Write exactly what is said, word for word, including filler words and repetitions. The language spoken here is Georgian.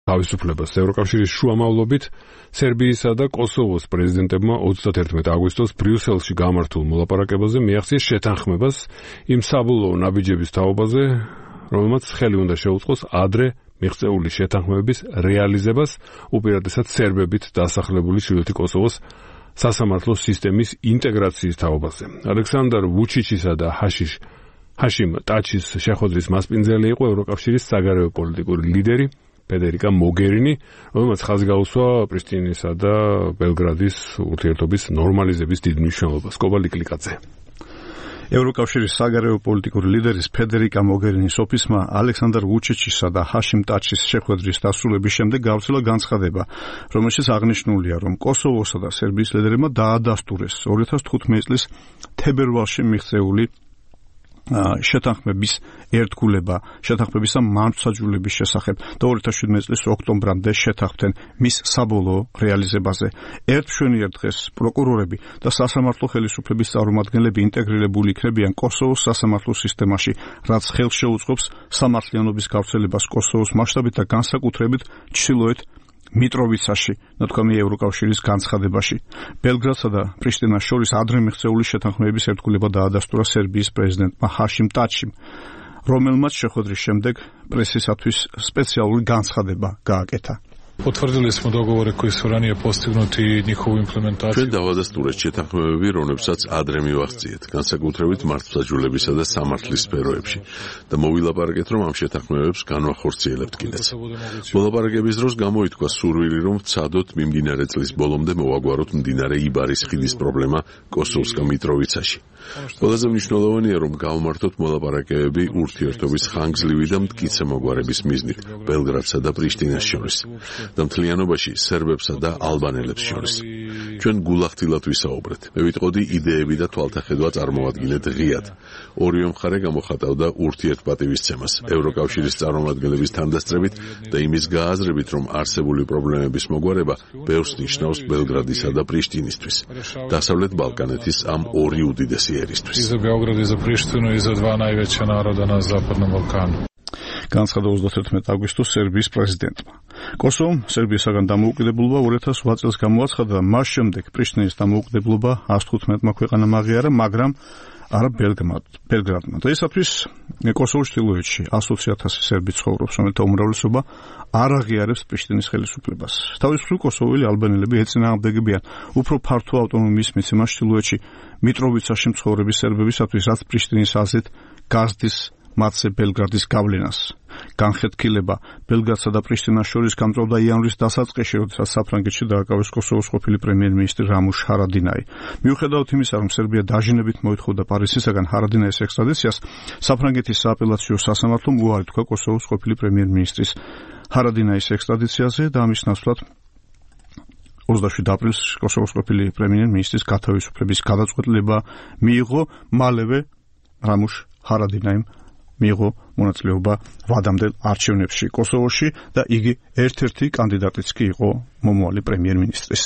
თავისუფლებას. ევროკავშირის შუამავლობით სერბიისა და კოსოვოს პრეზიდენტებმა ოცდაათერთმეტი აგვისტოს ბრიუსელში გამართულ მოლაპარაკებაზე მიაღწიეს შეთანხმებას იმ საბოლოო ნაბიჯების თაობაზე, რომელმაც ხელი უნდა შეუწყოს ადრე მიღწეული შეთანხმების რეალიზებას, უპირატესად სერბებით დასახლებული ჩრდილოეთი კოსოვოს სასამართლო სისტემის ინტეგრაციის თაობაზე. ალექსანდრ ვუჩიჩისა და ჰაშიშ ჰაშიმ ტაჩის შეხვედრის მასპინძელი იყო ევროკავშირის საგარეო პოლიტიკური ლიდერი ფედერიკა მოგერინი, რომელმაც ხაზი გაუსვა პრიშტინისა და ბელგრადის ურთიერთობის ნორმალიზების დიდ მნიშვნელობას. კობალი კლიკაძე. ევროკავშირის საგარეო პოლიტიკური ლიდერის ფედერიკა მოგერინის ოფისმა ალექსანდრ ვუჩიჩისა და ჰაშიმ ტაჩის შეხვედრის დასრულების შემდეგ გავრცელა განცხადება, რომელშიც აღნიშნულია, რომ კოსოვოსა და სერბიის ლიდერებმა დაადასტურეს ორი ათას თხუთმეტი წლის თებერვალში მიღწეული შეთანხმების ერთგულება, შეთანხმებისა მართლმსაჯულების შესახებ და ორი ათას შვიდმეტი წლის ოქტომბრამდე შეთანხმდნენ მის საბოლოო რეალიზებაზე. ერთ მშვენიერ დღეს პროკურორები და სასამართლო ხელისუფლების წარმომადგენლები ინტეგრირებული იქნებიან კოსოვოს სასამართლო სისტემაში, რაც ხელს შეუწყობს სამართლიანობის გავრცელებას კოსოვოს მასშტაბით და განსაკუთრებით ჩრდილოეთ მიტროვიცაში, ნათქვამია ევროკავშირის განცხადებაში. ბელგრადსა და პრიშტინას შორის ადრე მიღწეული შეთანხმების ერთგულება დაადასტურა სერბიის პრეზიდენტმა ჰაშიმ ტაჩიმ, რომელმაც შეხვედრის შემდეგ პრესისათვის სპეციალური განცხადება გააკეთა. Утвердили smo dogovore koji su ranije postignuti i njihovu implementaciju. ჩვენ დავადასტურეთ შეთანხმებები, რომლებსაც ადრე მივახციეთ, განსაკუთრებით მართლმსაჯულებისა და სამართლის სფეროებში და მოვილაპარაკეთ, რომ ამ შეთანხმებებს განვახორციელებთ კიდეც. მოლაპარაკების დროს გამოითქვა სურვილი, რომ ვცადოთ მიმდინარე წლის ბოლომდე მოვაგვაროთ მდინარე იბარის ხიდის პრობლემა კოსოვსკა მიტროვიცაში. ყველაზე მნიშვნელოვანია, რომ გავმართოთ მოლაპარაკებები ურთიერთობის ხანგრძლივი და მტკიცე მოგვარების მიზნით ბელგრადსა და პრიშტინას შორის. და მთლიანობაში სერბებსა და ალბანელებს შორის. ჩვენ გულახდილად ვისაუბრეთ. მე ვიტყოდი იდეები და თვალთახედვა წარმოვადგინეთ ღიად. ორივე მხარე გამოხატავდა ურთიერთპატივისცემას ევროკავშირის წარმომადგენლების თანდასწრებით და იმის გააზრებით, რომ არსებული პრობლემების მოგვარება ბევრს ნიშნავს ბელგრადისა და პრიშტინისთვის. დასავლეთ ბალკანეთის ამ ორი უდიდესი ერისთვის. I za Beograd i za Prištinu i za dva najveća naroda na Zapadnom Balkanu. განცხადა ოცდაათერთმეტი აგვისტოს სერბიის პრეზიდენტმა. კოსოვომ სერბიისაგან დამოუკიდებლობა ორი ათას ოთხ წელს გამოაცხადა და მას შემდეგ პრიშტინის დამოუკიდებლობა εκατს თხუთმეტმა ქვეყანამ აღიარა, მაგრამ არა ბელგრადმა. დღეისათვის კოსოვოს ჩრდილოეთში ათი ათასი სერბი ცხოვრობს, რომელთა უმრავლესობა არ აღიარებს პრიშტინის ხელისუფლებას. თავისუფლი კოსოველი ალბანელები ეწინააღმდეგებიან უფრო ფართო ავტონომიის მიცემას ჩრდილოეთში მიტროვიცაში მცხოვრები სერბებისათვის, რაც პრიშტინის აზრით გაზრდის მათზე ბელგრადის გავლენას. განხეთქილება ბელგრადსა და პრიშტინას შორის გამწვავდა იანვრის დასაწყისში, როდესაც საფრანგეთში დააკავეს კოსოვოს ყოფილი პრემიერ-მინისტრი რამუშ ჰარადინაი. მიუხედავად იმისა, რომ სერბია დაჟინებით მოითხოვდა პარიზისაგან ჰარადინაის ექსტრადიციას, საფრანგეთის სააპელაციო სასამართლომ უარი თქვა კოსოვოს ყოფილი პრემიერ-მინისტრის ჰარადინაის ექსტრადიციაზე და ამის ნაცვლად ოცდაშვიდი აპრილს კოსოვოს ყოფილი პრემიერ-მინისტრის გათავისუფლების გადაწყვეტილება მიიღო, მალევე რამუშ ჰარადინაიმ მიიღო მონაწილეობა ვადამდელ არჩევნებში კოსოვოში და იგი ერთ-ერთი კანდიდატიც კი იყო მომავალი პრემიერ-მინისტრის.